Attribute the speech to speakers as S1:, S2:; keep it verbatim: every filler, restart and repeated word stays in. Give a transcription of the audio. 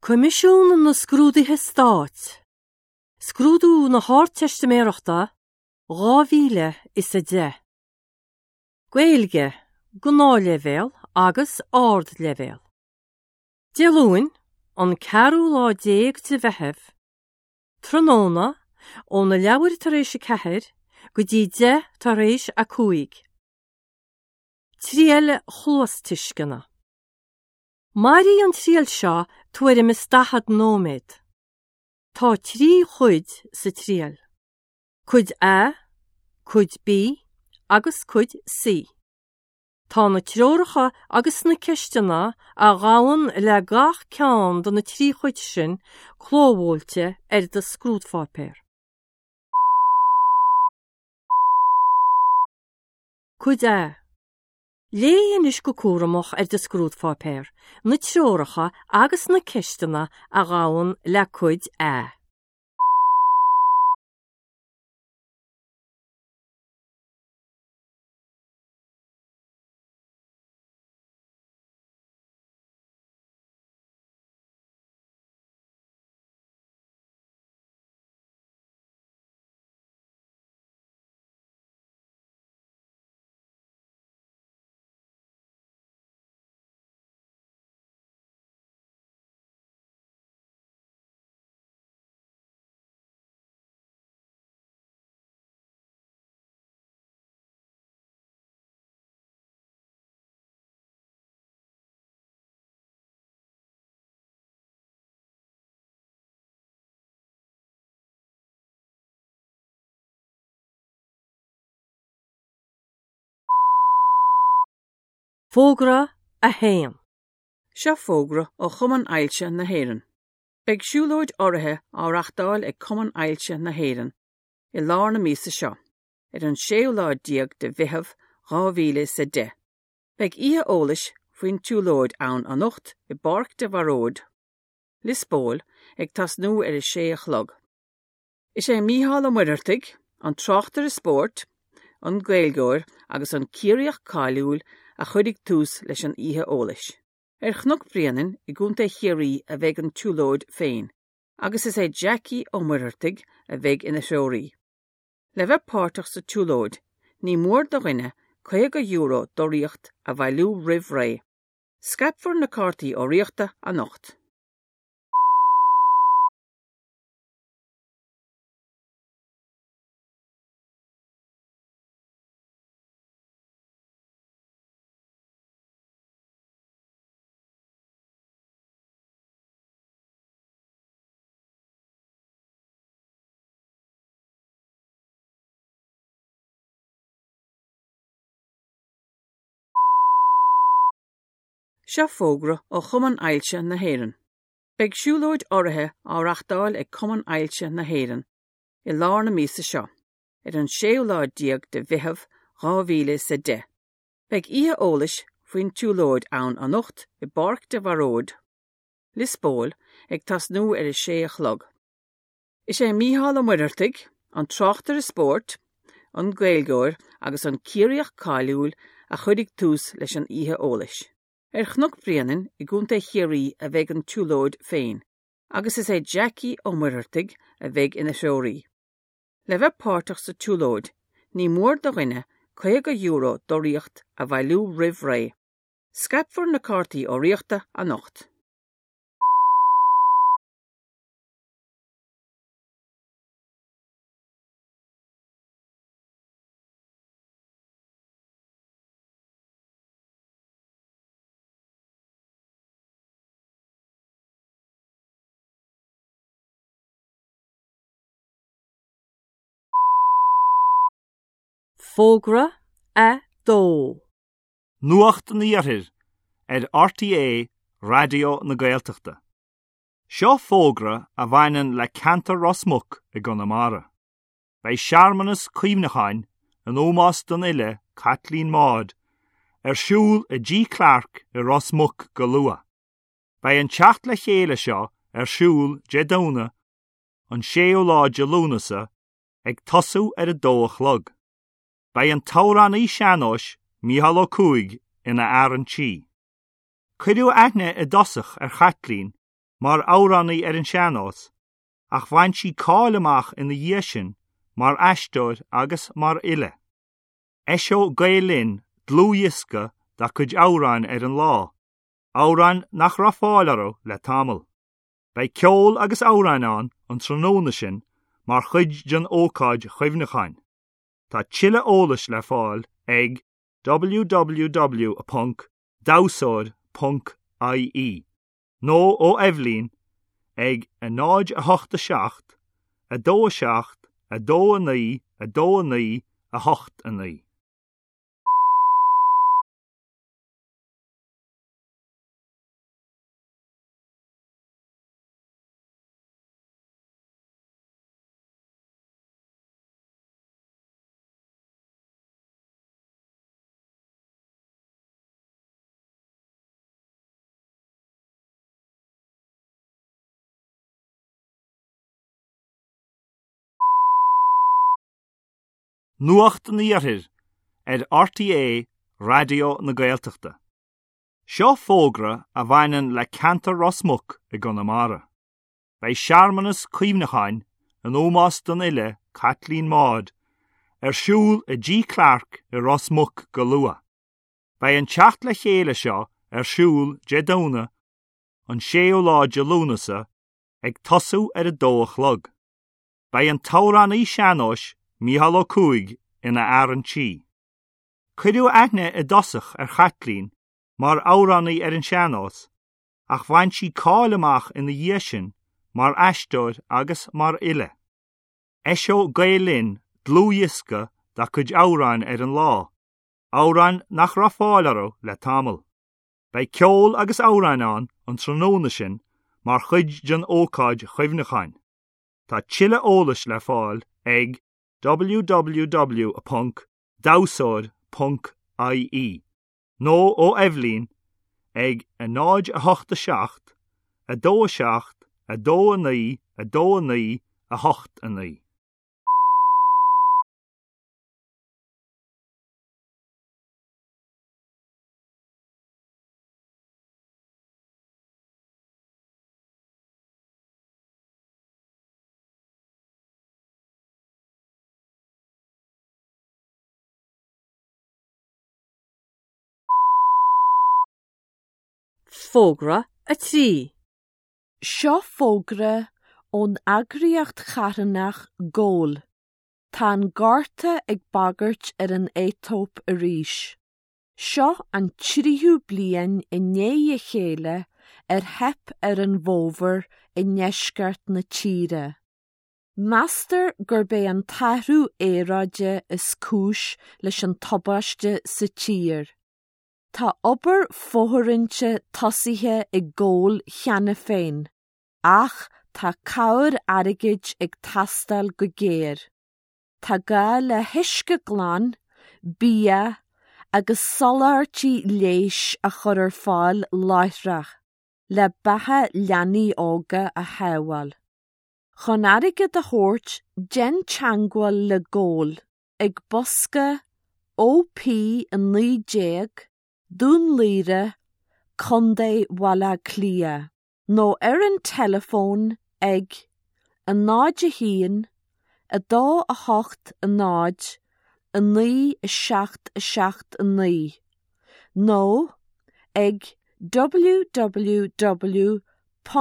S1: Coimisiún na Scrúduithe Stáit, Scrúdú na hArdteistiméireachta dhá mhíle is a deich. Gaeilge, Gnáthleibhéal agus Ardleibhéal. Dé Luain, an ceathrú lá déag de Mheitheamh, tráthnóna, óna leathuair tar éis a ceathair go dtí deich tar éis a cúig. Triail chluastuisceana. Mairfidh an triail seo tuairim is daichead nóiméad. Tá trí chuid sa triail. Cuid A, Cuid B agus Cuid C. Tá na treoracha agus na ceisteanna a ghabhann le gach ceann de na trí chuid sin clóbhuailte ar do scrúdpháipéar. Cuid A. Léigh anois go cúramach ar do scrúdpháipéar, na treoracha agus na ceisteanna a ghabhann le Cuid A. Fógra a haon.
S2: Seo fógra ó Chumann Ailse na hÉireann. Beidh siúlóid urraithe á reáchtáil ag Cumann Ailse na hÉireann i lár na míosa seo, ar an séú lá déag de Mheitheamh dhá mhíle is a deich. Beidh oíche eolais faoin tsiúlóid ann anocht i bPáirc de Bharóid, Lios Póil, ag tosnú ar a sé a chlog. Is é Mícheál Ó Muircheartaigh, an tráchtaire spóirt, an Gaeilgeoir agus an Ciarraíoch cáiliúil a chuirfidh tús leis an oíche eolais. Ar Chnoc Bréanainn i gContae Chiarraí a bheidh an tsiúlóid féin, agus is é Jackie Ó Muircheartaigh a bheidh ina threoraí. Le bheith páirteach sa tsiúlóid, ní mór do dhuine caoga euro d'urraíocht a bhailiú roimh ré. Scaipfear na cártaí urraíochta anocht. Seo fógra ó Chumann Ailse na hÉireann. Beidh siúlóid urraithe á reáchtáil ag Cumann Ailse na hÉireann i lár na míosa seo, ar an séú lá déag de Mheitheamh dhá mhíle is a deich. Beidh oíche eolais faoin tsiúlóid ann anocht i bPáirc de Bharóid, Lios Póil, ag tosnú ar a sé a chlog. Is é Mícheál Ó Muircheartaigh, an tráchtaire spóirt, an Gaeilgeoir agus an Ciarraíoch cáiliúil a chuirfidh tús leis an oíche eolais. Ar Chnoc Bréanainn i gContae Chiarraí a bheidh an tsiúlóid féin, agus is é Jackie Ó Muircheartaigh a bheidh ina threoraí. Le bheith páirteach sa tsiúlóid, ní mór do dhuine caoga euro d'urraíocht a bhailiú roimh ré. Scaipfear na cártaí urraíochta anocht.
S1: Fógra a dó.
S3: Nuacht an Iarthair ar R T É Raidió na Gaeltachta. Seo fógra a bhaineann le ceantar Ros Muc i gConamara. Beidh searmanas cuimhneacháin in ómós don fhile Caitlín Maude ar siúl i G Clarke i Ros Muc go luath. Beidh an teacht le chéile seo ar siúl Dé Domhnaigh an séú lá de Lúnasa ag tosú ar a dó a chlog. Beidh an t-amhránaí sean-nóis Mícheál Ó Cuaig ina fhear an tí. Cuireadh aithne i dtosach ar Chaitlín mar amhránaí ar an sean-nós, ach bhain sí cáil amach ina dhiaidh sin mar aisteoir agus mar fhile. Eiseoidh Gael Linn dlúthdhiosca dá cuid amhrán ar an lá, amhráin nach raibh fáil orthu le tamall. Beidh ceol agus amhráin ann an tráthnóna sin mar chuid den ócáid chuimhneacháin. Tá tuilleadh eolais le fáil ag www ponc damhsóir ponc ie nó ó Eibhlín ag a náid a hocht a seacht, a dó a seacht, a dó a naoi, a dó a naoi, a hocht a naoi. Nuacht an Iarthair ar RTÉ Raidió na Gaeltachta. Seo fógra a bhaineann le ceantar Ros Muc i gConamara. Beidh searmanas cuimhneacháin in ómós don fhile Caitlín Maude ar siúl i dTigh Clarke i Ros Muc go luath. Beidh an teacht le chéile seo ar siúl Dé Domhnaigh an séú lá de Lúnasa ag tosú ar a dó a chlog. Beidh an t-amhránaí sean-nóis Mícheál Ó Cuaig ina fhear an tí. Cuireadh aithne i dtosach ar Chaitlín mar amhránaí ar an sean-nós, ach bhain sí cáil amach ina dhiaidh sin mar aisteoir agus mar fhile. Eiseoidh Gael Linn dlúthdhiosca dá cuid amhráin ar an lá, amhráin nach raibh fáil orthu le tamall. Beidh ceol agus amhráin ann an tráthnóna sin mar chuid den ócáid chuimhneacháin. Tá tuilleadh eolais le fáil ag www ponc damhsóir ponc ie nó ó Eibhlín ag a náid a hocht a seacht, a dó a seacht, a dó a naoi, a dó a naoi, a hocht a naoi.
S1: Fógra a trí.
S4: Seo fógra ón eagraíocht charthanach Goal. Tá an gorta ag bagairt ar an Aetóip arís. Seo an tríú bliain i ndiaidh a chéile ar theip ar an bhfómhar i ndeisceart na tíre. Meastar gurb é an t-athrú aeráide is cúis leis an tubaiste sa tír. Tá obair fóirithinte tosaithe i Goal cheana féin, ach tá cabhair airgid ag teastáil go géar. Tá gá le huisce glan, bia agus soláthairtí leighis a chur ar fáil láithreach, le beatha leanaí óga a shábháil. Chun airgead a thabhairt, déan teagmháil le Goal ag bosca OP a naoi déag, Dún Laoghaire, Contae Bhaile Átha Cliath, nó ar an teileafón ag a náid a haon, a dó a hocht a náid, a naoi a seacht a seacht a naoi, nó ag www